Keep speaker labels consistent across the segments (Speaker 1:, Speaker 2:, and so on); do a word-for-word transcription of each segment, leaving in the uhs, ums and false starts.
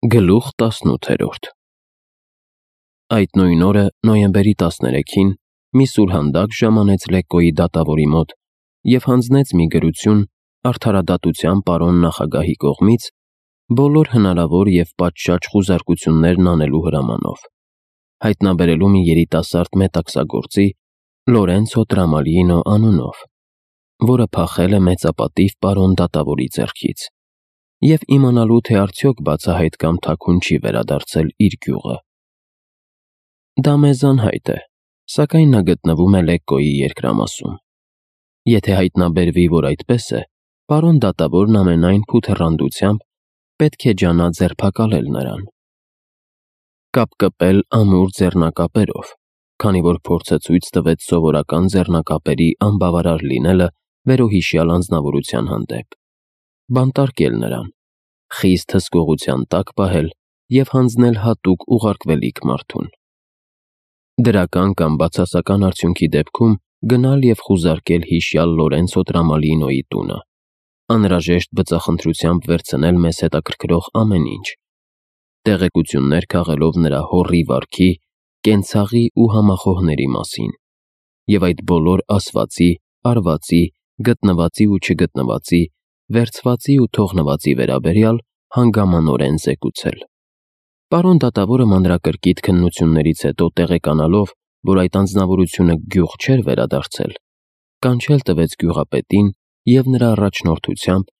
Speaker 1: Գլուխ տասնութերորդ Այդ նույն օրը, նոյեմբերի տասներեքին, մի սուրհանդակ ժամանեց Լեկկոյի դատավորի մոտ և հանձնեց մի գրություն արդարադատության պարոն նախագահի կողմից բոլոր հնարավոր և պատշաճ խուզարկություններն անելու հրամանով, հայտնաբերելու մի երիտասարդ մետաքսագործի Լորենցո Տրամալինո անունով, որը փախել է մեծապատիվ պարոն դատավորի ձեռքից, և իմանալու, թե արդյոք բացահայտ կամ թաքուն չի վերադարձել իր գյուղը։ Դա մեզ անհայտ է, սակայն նա գտնվում է Լեկկոյի երկրամասում։ Եթե հայտնաբերվի, որ այդպես է, պարոն դատավորն ամենայն փութեռանդությամբ պետք է ջանա ձերբակալել նրան։ Կապ կպել ամուր ձեռնակապերով, քանի որ փորձը ցույց տվեց սովորական ձեռնակապերի անբավարար լինելը վերոհիշյալ անձնավորության հանդեպ, բանտարկել նրան, խիստ հսկողության տակ պահել և հանձնել հատուկ ուղարկվելիք մարդուն։ Դրական կամ բացասական արդյունքի դեպքում գնալ և խուզարկել հիշյալ Լորենցո Տրամալինոյի տունը, անհրաժեշտ բծախնդրությամբ վերցնել մեզ հետաքրքրող ամեն ինչ, տեղեկություններ քաղելով նրա հոռի վարքի, կենցաղի ու համախոհների մասին, և այդ բոլոր ասվածի, արվածի, գտնվածի ու չգտնվածի, վերցվածի ու թողնվածի վերաբերյալ հանգամանորեն զեկուցել։ Պարոն դատավորը մանրակրկիտ քննություններից հետո տեղեկանալով, որ այդ անձնավորությունը գյուղ չէր վերադարձել, կանչել տվեց գյուղապետին և նրա առաջնորդությամբ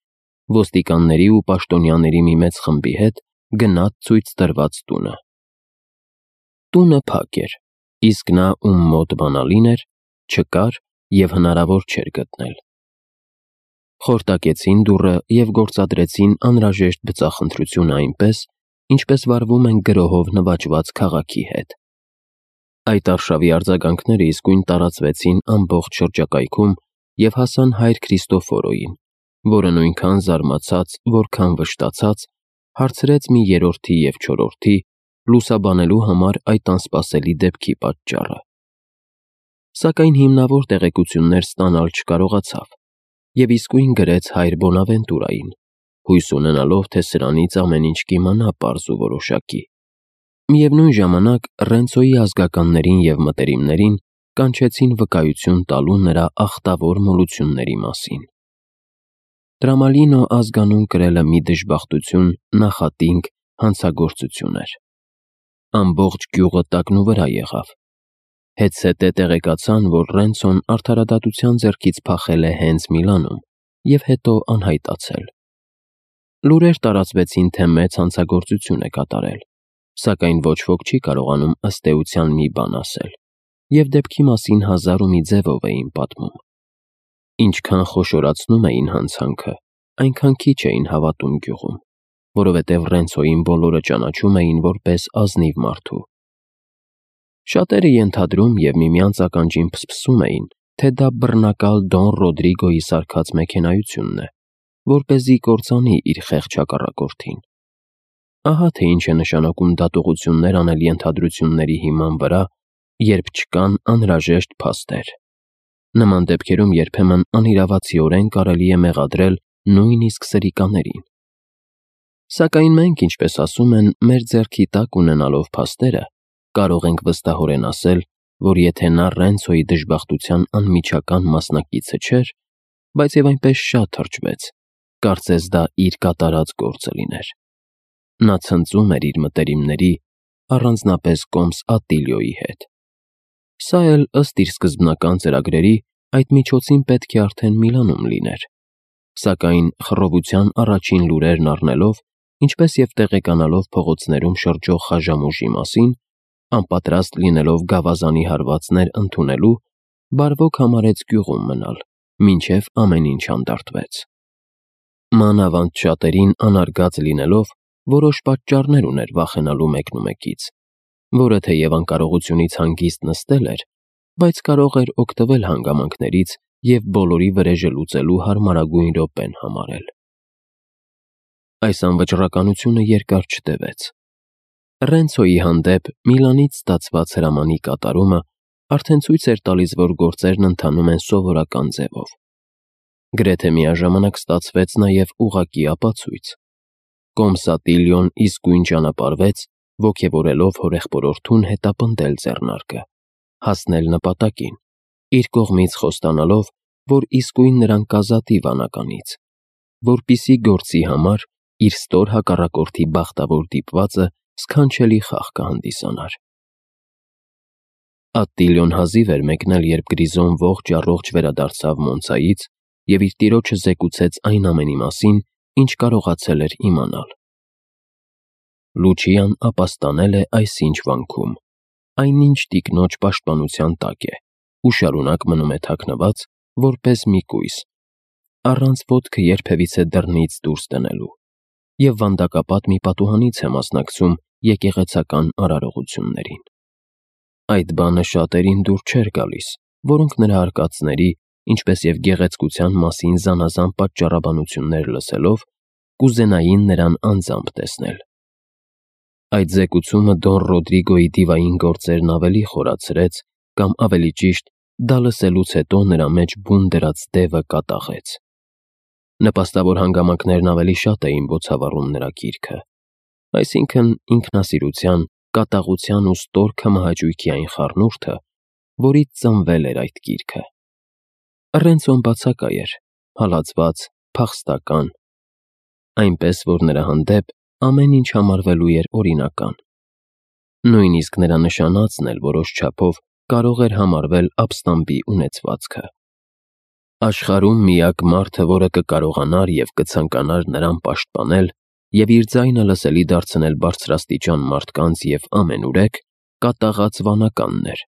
Speaker 1: ոստիկանների ու պաշտոնյաների մի մեծ խմբի հետ գնաց ցույց տրված տունը։ Տունը փակ էր, իսկ նա, ում մոտ բանալին էր, չկար և հնարավոր չէր գտնել։ Խորտակեցին դուռը և գործադրեցին անհրաժեշտ բծախնդրությունը այնպես, ինչպես վարվում են գրոհով նվաճված քաղաքի հետ։ Այդ արշավի արձագանքները իսկույն տարածվեցին ամբողջ շրջակայքում և հասան հայր Քրիստոֆորոյին, որը նույնքան զարմացած, որքան վշտացած, հարցրեց մի երրորդի և չորրորդի լուսաբանելու համար այդ անսպասելի դեպքի պատճառը։ Սակայն հիմնավոր տեղեկություններ ստանալ չկարողացավ և իսկույն գրեց հայր Բոնավենտուրային, հույս ունենալով, թե սրանից ամեն ինչ կիմանա պարզ ու որոշակի։ Միևնույն ժամանակ Ռենցոյի ազգականներին և մտերիմներին կանչեցին վկայություն տալու նրա ախտավոր մոլությունների մասին։ Տրամալինո ազգանուն կրելը մի դժբախտություն, նախատինք հանցագործություն էր։ Ամբողջ գյուղը տակնուվրա եղավ։ Հետզհետե տեղեկացան, որ Ռենցոն արդարադատության ձեռքից փախել է հենց Միլանում և հետո անհայտացել։ Լուրեր տարածվեցին, թե մեծ հանցագործություն է կատարել, սակայն ոչ ոք չի կարողանում ըստ էության մի բան ասել, և դեպքի մասին հազար ու մի ձևով էին պատմում։ Ինչքան խոշորացնում էին հանցանքը, այնքան քիչ էին հավատում գյուղում, որովհետև Ռենցոյին բոլորը ճանաչում էին որպես ազնիվ մարդու։ Շատերը ենթադրում և միմյանց ականջին փսփսում էին, թե դա բռնակալ Դոն Ռոդրիգոյի սարքած մեքենայությունն է, որպեսզի կործանի իր խեղճ հակառակորդին։ Ահա թե ինչ է նշանակում դատողություններ անել ենթադրությունների հիման վրա, երբ չկան անհրաժեշտ փաստեր։ Նման դեպքերում երբեմն անիրավացիորեն կարելի է մեղադրել նույնիսկ սրիկաներին։ Սակայն մենք, ինչպես ասում են, մեր ձեռքի տակ ունենալով փաստերը, կարող ենք վստահորեն ասել, որ եթե նա Ռենցոյի դժբախտության անմիջական մասնակիցը չէր, բայց և այնպես շատ թրջվեց, կարծես դա իր կատարած գործը լիներ։ Նա ցնծում էր իր մտերիմների, առանձնապես կոմս Ատիլիոյի հետ։ Սա էլ, ըստ իր սկզբնական ծրագրերի, այդ միջոցին պետք է արդեն Միլանում լիներ, սակայն խռովության առաջին լուրերն առնելով, ինչպես և տեղեկանալով փողոցներում շրջող խաժամուժի մասին, անպատրաստ լինելով գավազանի հարվածներ ընդունելու, բարվոք համարեց գյուղում մնալ, մինչև ամեն ինչ հանդարտվեց։ Մանավանդ շատերին անարգած լինելով, որոշ պատճառներ ուներ վախենալու մեկնումեկից, որը թեև անկարողությունից հանգիստ նստել էր, բայց կարող էր օգտվել հանգամանքներից և բոլորի վրեժը լուծելու հարմարագույն րոպեն համարել։ Այս անվճռականությունը երկար չտևեց։ Ռենցոյի հանդեպ Միլանից ստացված հրամանի կատարումը արդեն ցույց էր տալիս, որ գործերն ընթանում են սովորական ձևով։ Գրեթե միաժամանակ ստացվեց նաև ուղղակի ապացույց։ Կոմսատիլիոն իսկույն ճանապարհվեց, ոգևորելով հորեղբորորդուն հետապնդել ձեռնարկը, հասնել նպատակին, իր կողմից խոստանալով, որ իսկույն նրան կազատի վանականից, որպեսզի գործի համար իր ստոր հակառակորդի բախտավոր դիպվածը սքանչելի խաղ կհանդիսանար։ Ատտիլիոն հազիվ էր մեկնել, երբ Գրիզոն ողջ առողջ վերադարձավ Մոնցայից և իր տիրոջը զեկուցեց այն ամենի մասին, ինչ կարողացել էր իմանալ։ Լուչիան ապաստանել է այսինչ վանքում, այնինչ տիկնոջ պաշտպանության տակ է ու շարունակ մնում է թաքնված, որպես մի կույս, առանց ոտքը երբևիցե դռնից դուրս դնելու, և վանդակապատ մի պատուհանից է մասնակցում եկեղեցական արարողություններին։ Այդ բանը շատերին դուր չէր գալիս, որոնք նրա արկածների, ինչպես և գեղեցկության մասին զանազան պատճառաբանություններ լսելով, կուզենային նրան անձամբ տեսնել։ Այդ զեկուցումը Դոն Ռոդրիգոյի դիվային գործերն ավելի խորացրեց, կամ ավելի ճիշտ, դա լսելուց հետո նրա մեջ բուն դրած դևը կատաղեց։ Նպաստավոր հանգամանքներն ավելի շատ էին բոցավառում նրա գիրքը, այսինքն ինքնասիրության, կատաղության ու ստոր քմահաճույքի այն խառնուրդը, որից ծնվել էր այդ գիրքը։ Ռենցոն բացակայ էր, հալածված, փախստական, այնպես որ նրա հանդեպ ամեն ինչ համարվելու էր օրինական։ Նույնիսկ նրա նշանածն էլ որոշ չափով կարող էր համարվել ապստամբի ունեցվածքը։ Աշխարհում միակ մարդը, որը կկարողանար և կցանկանար նրան պաշտպանել և իր ձայնը լսելի դարձնել բարձրաստիճան մարդկանց և ամենուրեք, կատաղած վանականն էր,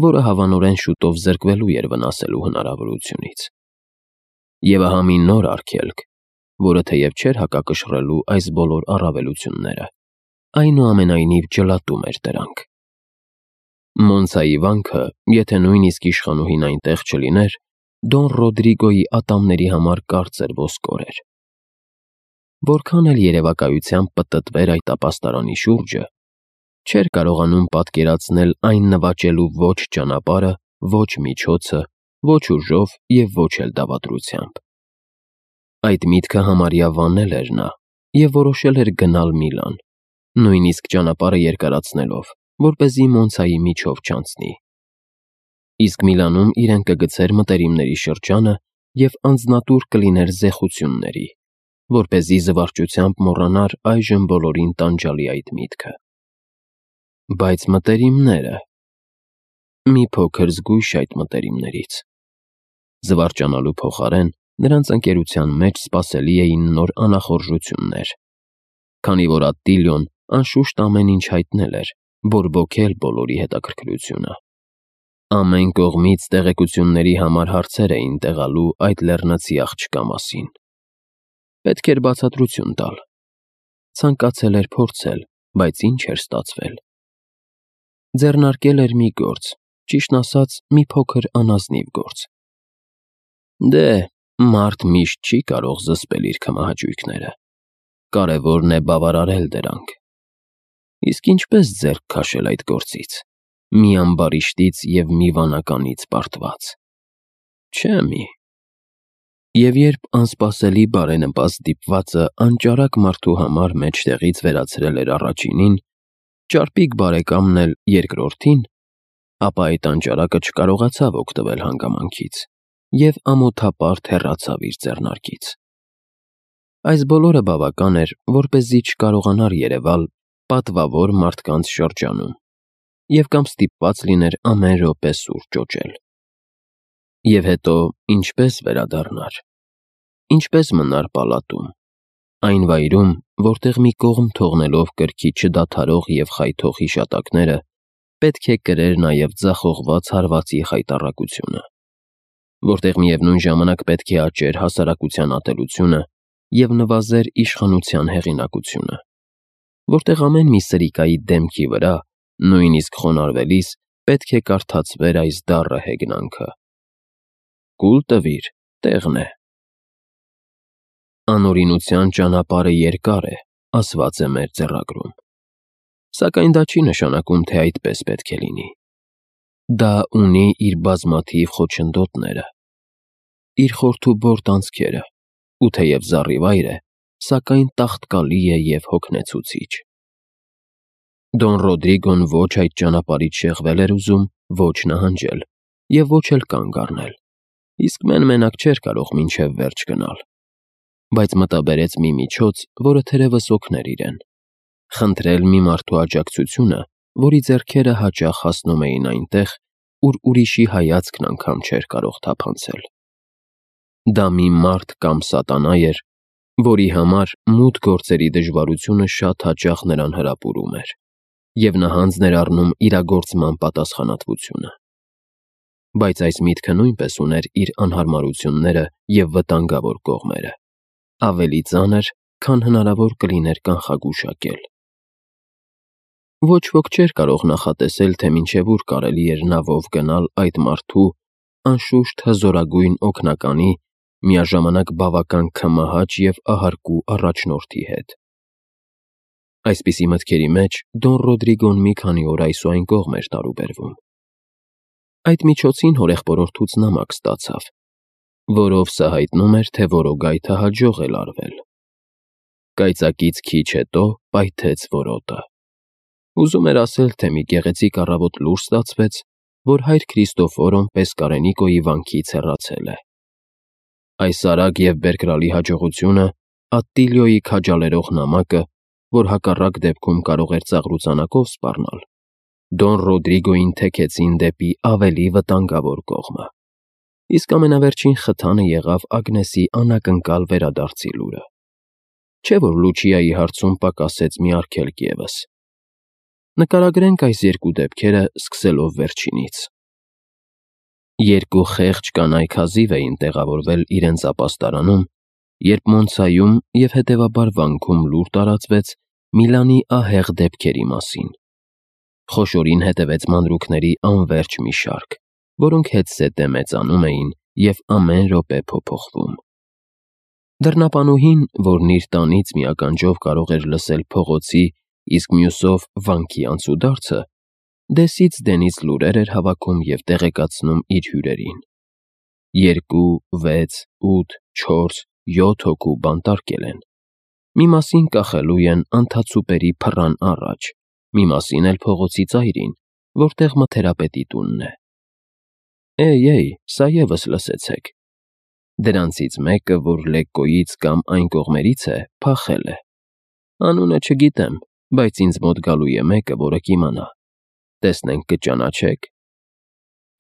Speaker 1: որը հավանորեն շուտով զրկվելու էր վնասելու հնարավորությունից։ Եվ ահա մի նոր արգելք, որը թեև չէր հակակշռելու այս բոլոր առավելությունները, այնուամենայնիվ ջլատում էր դրանք։ Մոնցայի վանքը, եթե նույնիսկ իշխանուհին այնտեղ չլիներ, Դոն Ռոդրիգոյի ատամների համար կարծր ոսկոր էր։ Որքան էլ երևակայությամբ պտտվեր այդ ապաստարանի շուրջը, չէր կարողանում պատկերացնել այն նվաճելու ոչ ճանապարհը, ոչ միջոցը, ոչ ուժով և ոչ էլ դավադրությամբ։ Այդ միտքը համարյա վանել էր նա և որոշել էր գնալ Միլան, նույնիսկ ճանապարհը երկարացնելով, որպեսզի Մոնցայի միջով չանցնի։ Իսկ Միլանում իրեն կգցեր մտերիմների շրջանը և անձնատուր կլիներ զեխությունների, որպեսզի զվարճությամբ մոռանար այժմ բոլորին տանջալի այդ միտքը։ Բայց մտերիմները… Մի փոքր զգույշ այդ մտերիմներից։ Զվարճանալու փոխարեն նրանց ընկերության մեջ սպասելի էին նոր անախորժություններ, քանի որ Ատտիլիոն անշուշտ ամեն ինչ հայտնել էր, բորբոքել բոլորի հետաքրքրությունը։ Ամեն կողմից տեղեկությունների համար հարցեր էին տեղալու այդ լեռնացի աղջկա մասին։ Պետք էր բացատրություն տալ։ Ցանկացել էր փորձել, բայց ինչ էր ստացվել։ Ձեռնարկել էր մի գործ, ճիշտն ասած, մի փոքր անազնիվ գործ։ Դե, մարդ միշտ չի կարող զսպել իր քմահաճույքները, կարևորն է բավարարել դրանք։ Իսկ ինչպե՞ս ձեռք քաշել այդ գործից, մի ամբարիշտից և մի վանականից պարտված։ Չէ՞ մի… Եվ երբ անսպասելի բարենպաստ դիպվածը անճարակ մարդու համար մեջտեղից վերացրել էր առաջինին, ճարպիկ բարեկամն էլ երկրորդին, ապա այդ անճարակը չկարողացավ օգտվել հանգամանքից և ամոթապարտ հեռացավ իր ձեռնարկից։ Այս բոլորը բավական էր, որպեսզի չկարողանար երևալ պատվավոր մարդկանց շրջանում և կամ ստիպված լիներ ամեն րոպե սուր ճոճել։ Եվ հետո ինչպե՞ս վերադառնար, ինչպե՞ս մնար պալատում, այն վայրում, որտեղ մի կողմ թողնելով կրքի չդադարող և խայթող հիշատակները, պետք է կրեր նաև ձախողված հարվածի խայտառակությունը, որտեղ միևնույն ժամանակ պետք է աճեր հասարակության ատելությունը և նվազեր իշխանության հեղինակությունը, որտեղ ամեն մի սրիկայի դեմքի վրա, նույնիսկ խոնարհվելիս, պետք է կարդացվեր այս դառը հեգնանքը. «Կուլ տվիր, տեղն է»։ Անօրինության ճանապարհը երկար է, ասված է մեր ձեռագրում, սակայն դա չի նշանակում, թե այդպես պետք է լինի։ Դա ունի իր բազմաթիվ խոչընդոտները, իր խորթուբորտ անցքերը, ու թեև զառիվայր է, սակայն տաղտկալի է և հոգնեցուցիչ։ Դոն Ռոդրիգոն ոչ այդ ճանապարհից շեղվել էր ուզում, ոչ նահանջել և ոչ էլ կանգ առնել, իսկ մեն-մենակ չէր կարող մինչև վերջ գնալ, բայց մտաբերեց մի միջոց, որը թերևս օգներ իրեն. խնդրել մի մարդու աջակցությունը, որի ձեռքերը հաճախ հասնում էին այնտեղ, ուր ուրիշի հայացքն անգամ չէր կարող թափանցել։ Դա մի մարդ կամ սատանա էր, որի համար մութ գործերի դժվարությունը շատ հաճախ նրան հրապուրում էր և նահանձ ներառնում իրագործման պատասխանատվությունը։ Բայց այս միտքը նույնպես ուներ իր անհարմարությունները և վտանգավոր կողմերը, ավելի ծանր, քան հնարավոր կլիներ կանխագուշակել։ Ոչ ոք չէր կարող նախատեսել, թե մինչև ուր կարելի էր նավով գնալ այդ մարդու, անշուշտ հզորագույն օգնականի, միաժամանակ բավական քմահաճ և ահարկու առաջնորդի հետ։ Այսպիսի մտքերի մեջ Դոն Ռոդրիգոն մի քանի օր այս ու այն կողմ էր տարուբերվում։ Այդ միջոցին հորեղբորորդուց նամակ ստացավ, որով սա հայտնում էր, թե որոգայթը հաջող է լարվել։ Կայծակից քիչ հետո պայթեց որոտը։ Ուզում էր ասել, թե մի գեղեցիկ առավոտ լուր ստացվեց, որ հայր Քրիստոֆորոն Պեսկարենիկոյի վանքից հեռացել է։ Այս արագ և բերկրալի հաջողությունը, Ատտիլիոյի քաջալերող նամակը, որ հակառակ դեպքում կարող էր ծաղրուծանակով սպառնալ, Դոն Ռոդրիգոյին թեքեցին դեպի ավելի վտանգավոր կողմը։ Իսկ ամենավերջին խթանը եղավ Ագնեսի անակնկալ վերադարձի լուրը։ Չէ՞ որ Լուչիայի հարցում պակասեց մի արգելք ևս։ Նկարագրենք այս երկու դեպքերը, սկսելով վերջինից։ Երկու խեղճ կանայք հազիվ էին տեղավորվել իրենց ապաստարանում, երբ Մոնցայում և հետևաբար վանքում լուր տարածվեց Միլանի ահեղ դեպքերի մասին։ Խոշորին հետևեց մանրուքների անվերջ մի շարք, որոնք հետզհետե մեծանում էին և ամեն րոպե փոփոխվում։ Դռնապանուհին, որն իր տանից մի ականջով կարող էր լսել փողոցի, իսկ մյուսով վանքի անցուդարձը, դեսից դենից լուրեր էր հավաքում և տեղեկացնում իր հյուրերին։ Երկու, վեց, ութ, չորս, յոթ հոգու բանտարկել են։ Մի մասին կախելու են անթացուպերի փռան առաջ, մի մասին էլ փողոցի ծայրին, որտեղ մթերապետի տունն է։ Էյ, սա ևս լսեցեք։ Դրանցից մեկը, որ Լեկկոյից կամ այն կողմերից է, փախել է։ Անունը չգիտեմ, բայց ինձ մոտ գալու է մեկը, որը կիմանա։ Տեսնենք կճանաչե՞ք։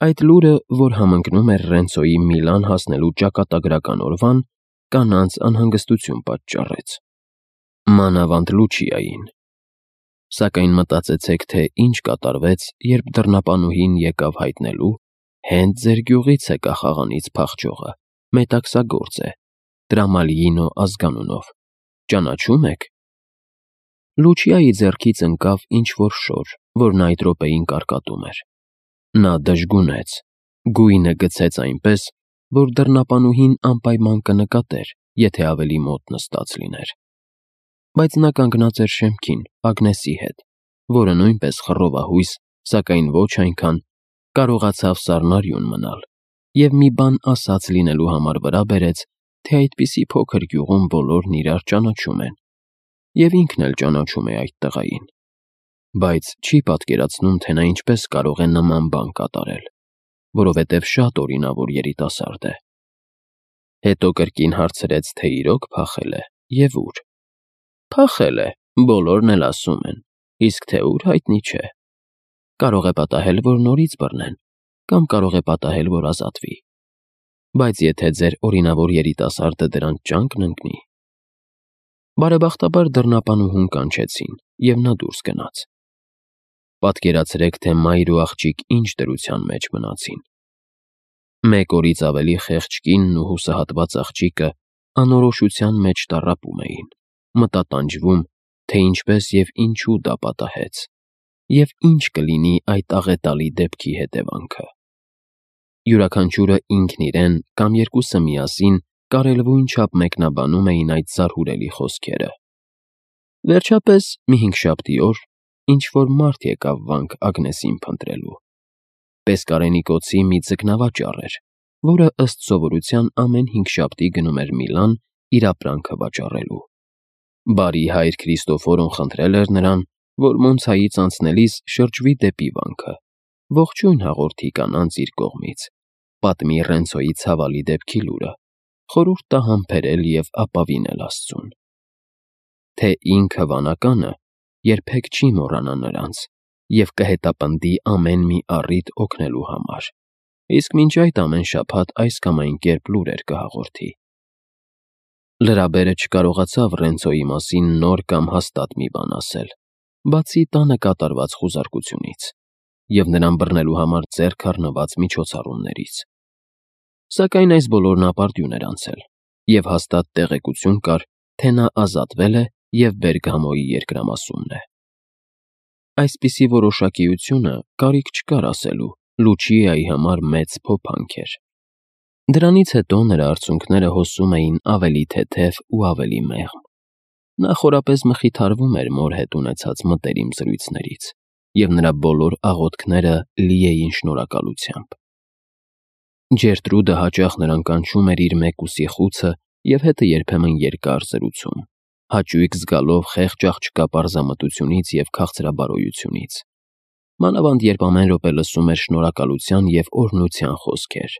Speaker 1: Այդ լուրը, որ համընկնում էր Ռենցոյի Միլան հասնելու ճակատագրական օրվան, կանանց անհանգստություն պատճառեց։ Մանավանդ Լուչիային։ Սակայն մտածեցեք, թե ինչ կատարվեց, երբ դռնապանուհին եկավ հայտնելու, հենց ձեր գյուղից է կախաղանից փախչողը, մետաքսագործ է, Տրամալիինո ազգանունով։ Ճանաչո՞ւմ եք։ Լուչիայի ձեռքից ընկավ ինչ-որ շոր, որն այդ րոպեին կարկատում էր։ Նա դժգունեց, գույնը գցեց այնպես, որ դռնապանուհին անպայման կնկատեր, եթե ավելի մոտ նստած լիներ։ Բայց նա կանգնած էր շեմքին, Ագնեսի հետ, որը նույնպես խռովահույս, սակայն ոչ այնքան, կարողացավ սառնարյուն մնալ, և մի բան ասած լինելու համար վրա բերեց, թե այդպիսի փոքր գյուղում բոլորն իրար ճանաչում են, և ինքն էլ ճանաչում է այդ տղային։ Բայց չի պատկերացնում, թե նա ինչպես կարող է նման բան կատարել, որովհետև շատ օրինավոր երիտասարդ է։ Հետո կրկին հարցրեց, թե իրոք փախել է և ուր։ Փախել է, բոլորն էլ ասում են, իսկ թե ուր հայտնի չէ։ Կարող է պատահել, որ նորից բռնեն, կամ կարող է պատահել, որ ազատվի։ Բայց եթե ձեր օրինավոր երիտասարդը դրանց ճանկն ընկնի… Բարեբախտաբար դռնապանուհուն կանչեցին, և նա դուրս գնաց։ Պատկերացրեք, թե մայր ու աղջիկ ինչ դրության մեջ մնացին։ Մեկ օրից ավելի խեղճ կինն ու հուսահատված աղջիկը անորոշության մեջ տառապում էին, մտատանջվում, թե ինչպես և ինչու դա պատահեց, և ինչ կլինի այդ աղետալի դեպքի հետևանքը։ Յուրաքանչյուրը ինքն իրեն կամ երկուսը միասին կարելույն չափ մեկնաբանում էին այդ զարհուրելի խոսքերը։ Վերջապես, մի հինգշաբթի օր, ինչ-որ մարդ եկավ վանք Ագնեսին փնտրելու։ Պեսկարենիկոցի մի ձկնավաճառ էր, որը ըստ սովորության ամեն հինգշաբթի գնում էր Միլան իր ապրանքը վաճառելու։ Բարի հայր Քրիստոֆորոն խնդրել էր նրան, որ Մոնցայից անցնելիս շրջվի դեպի վանքը, ողջույն հաղորդի կանանց իր կողմից, պատմի Ռենցոյի ցավալի դեպքի լուրը, խորհուրդ տա համբերել և ապավինել Աստծուն։ Թե ինքը վանականը երբեք չի մոռանա նրանց և կհետապնդի ամեն մի առիթ օգնելու համար, իսկ մինչ այդ ամեն շաբաթ այս կամ այն կերպ լուրեր կհաղորդի։ Լրաբերը չկարողացավ Ռենցոյի մասին նոր կամ հաստատ մի բան ասել, բացի տանը կատարված խուզարկությունից և նրան բռնելու համար ձեռք առնված միջոցառումներից։ Սակայն այս բոլորն ապարդյուն էր անցել, և հաստատ տեղեկություն կար, թե նա ազատվել է և Բերգամոյի երկրամասումն է։ Այսպիսի որոշակիությունը կարիք չկար ասելու Լուչիայի համար մեծ փոփանք էր։ Դրանից հետո նրա արցունքները հոսում էին ավելի թեթև ու ավելի մեղմ։ Նա խորապես մխիթարվում էր մոր հետ ունեցած մտերիմ զրույցներից, և նրա բոլոր աղոթքները լի էին շնորհակալությամբ։ Ջերտրուդը հաճախ նրան կանչում էր իր մեկուսի խուցը և հետը երբեմն երկար զրուցում, հաճույք զգալով խեղճ աղջկա պարզամտությունից և քաղցրաբարոյությունից, մանավանդ երբ ամեն րոպե լսում էր շնորհակալության և օրհնության խոսքեր։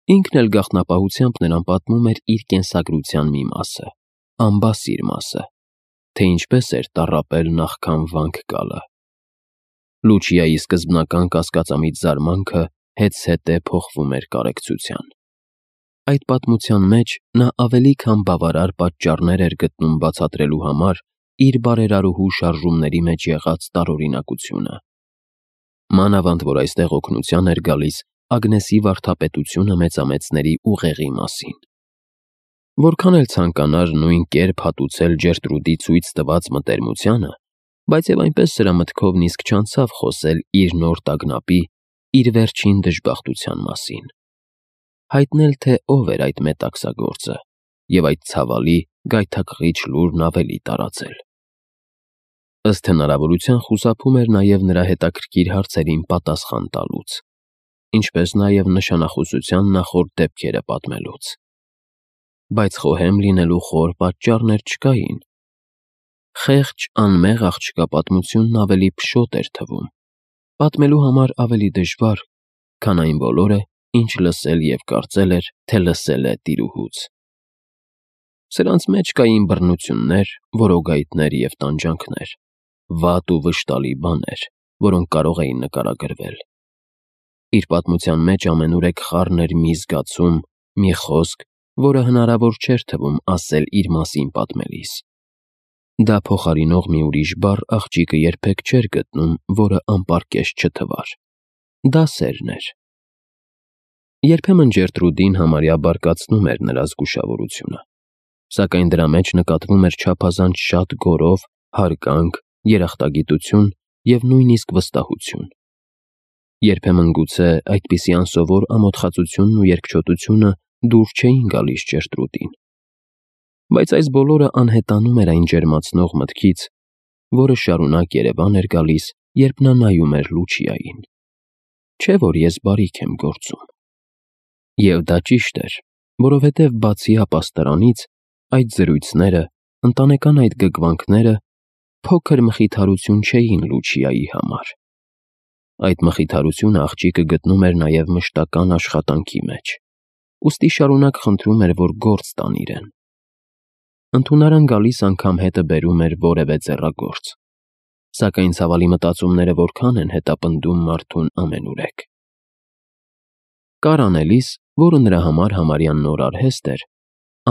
Speaker 1: Ինքն էլ գաղտնապահությամբ նրան պատմում էր իր կենսագրության մի մասը, անբասիր մասը, թե ինչպես էր տառապել նախքան վանք գալը։ Լուչիայի սկզբնական կասկածամիտ զարմանքը հետզհետե փոխվում էր կարեկցության։ Այդ պատմության մեջ նա ավելի քան բավարար պատճառներ էր գտնում բացատրելու համար իր բարերարուհու շարժումների մեջ եղած տարօրինակությունը։ Մանավանդ որ այստեղ օգնության էր գալիս Ագնեսի վարդապետությունը մեծամեծների ուղեղի մասին։ Որքան էլ ցանկանար նույն կերպ հատուցել Ջերտրուդի ցույց տված մտերմությանը, բայց և այնպես սրա մտքով նիսկ չանցավ խոսել իր նոր տագնապի, իր վերջին դժբախտության մասին, հայտնել, թե ով էր այդ մետաքսագործը և այդ ցավալի, գայթակղիչ լուրն ավելի տարածել։ Ըստ հնարավորության խուսափում էր նաև նրա հետաքրքիր հարցերին պատասխան տալուց, ինչպես նաև նշանախոսության նախորդ դեպքերը պատմելուց։ Բայց խոհեմ լինելու խոր պատճառներ չկային։ Խեղճ, անմեղ աղջկա պատմությունն ավելի փշոտ էր թվում, պատմելու համար ավելի դժվար, քան այն բոլորը, ինչ լսել և կարծել էր, թե լսել է տիրուհուց։ Սրանց մեջ կային բռնություններ, որոգայթներ և տանջանքներ, վատ ու վշտալի բաներ, որոնք կարող էին նկարագրվել։ Իր պատմության մեջ ամենուրեք խառն էր մի զգացում, մի խոսք, որը հնարավոր չէր թվում ասել իր մասին պատմելիս։ Դա փոխարինող մի ուրիշ բառ աղջիկը երբեք չէր գտնում, որը անպարկեշտ չթվար։ Դա սերն էր։ Երբեմն Ջերտրուդին համարյա բարկացնում էր նրա զգուշավորությունը, սակայն դրա մեջ նկատվում էր չափազանց շատ գոռով, հարգանք, երախտագիտություն և նույնիսկ վստահություն։ Երբեմն գուցե այդպիսի անսովոր ամոթխածությունն ու երկչոտությունը դուր չէին գալիս Ջերտրուդին։ Բայց այս բոլորը անհետանում էր այն ջերմացնող մտքից, որը շարունակ երևան էր գալիս, երբ նա նայում էր Լուչիային։ Չէ՞ որ ես բարիք եմ գործում։ Եվ դա ճիշտ էր, որովհետև բացի ապաստարանից, այդ զրույցները, ընտանեկան այդ գգվանքները փոքր մխիթարություն չէին Լուչիայի համար։ Այդ մխիթարությունը աղջիկը գտնում էր նաև մշտական աշխատանքի մեջ, ուստի շարունակ խնդրում էր, որ գործ տան իրեն։ Ընդունարան գալիս անգամ հետը բերում էր որևէ ձեռագործ, սակայն ցավալի մտածումները որքան են հետապնդում մարդուն ամենուրեք։ Կար անելիս, որը նրա համար համարյա նոր արհեստ էր,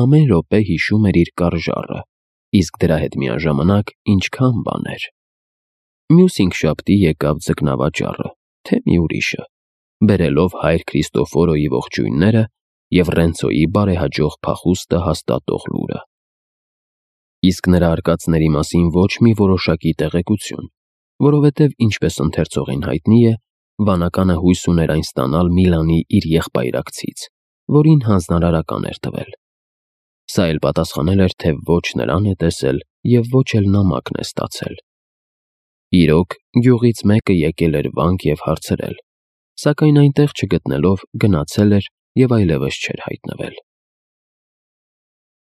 Speaker 1: ամեն րոպե հիշում էր իր կարժառը, իսկ դրա հետ միաժամանակ ինչքան բաներ։ Մյուս հինգշաբթի եկավ ձկնավաճառը, թե մի ուրիշը, բերելով հայր Քրիստոֆորոյի ողջույնները և Ռենցոյի բարեհաջող փախուստը հաստատող լուրը։ Իսկ նրա արկածների մասին ոչ մի որոշակի տեղեկություն, որովհետև, ինչպես ընթերցողին հայտնի է, վանականը հույս ուներ այն ստանալ Միլանի իր եղբայրակցից, որին հանձնարարական էր տվել։ Սա էլ պատասխանել էր, թե ոչ նրան է տեսել և ոչ էլ նամակն է ստացել։ Իրոք, գյուղից մեկը եկել էր վանք և հարցրել, սակայն այնտեղ չգտնելով գնացել էր և այլևս չէր հայտնվել։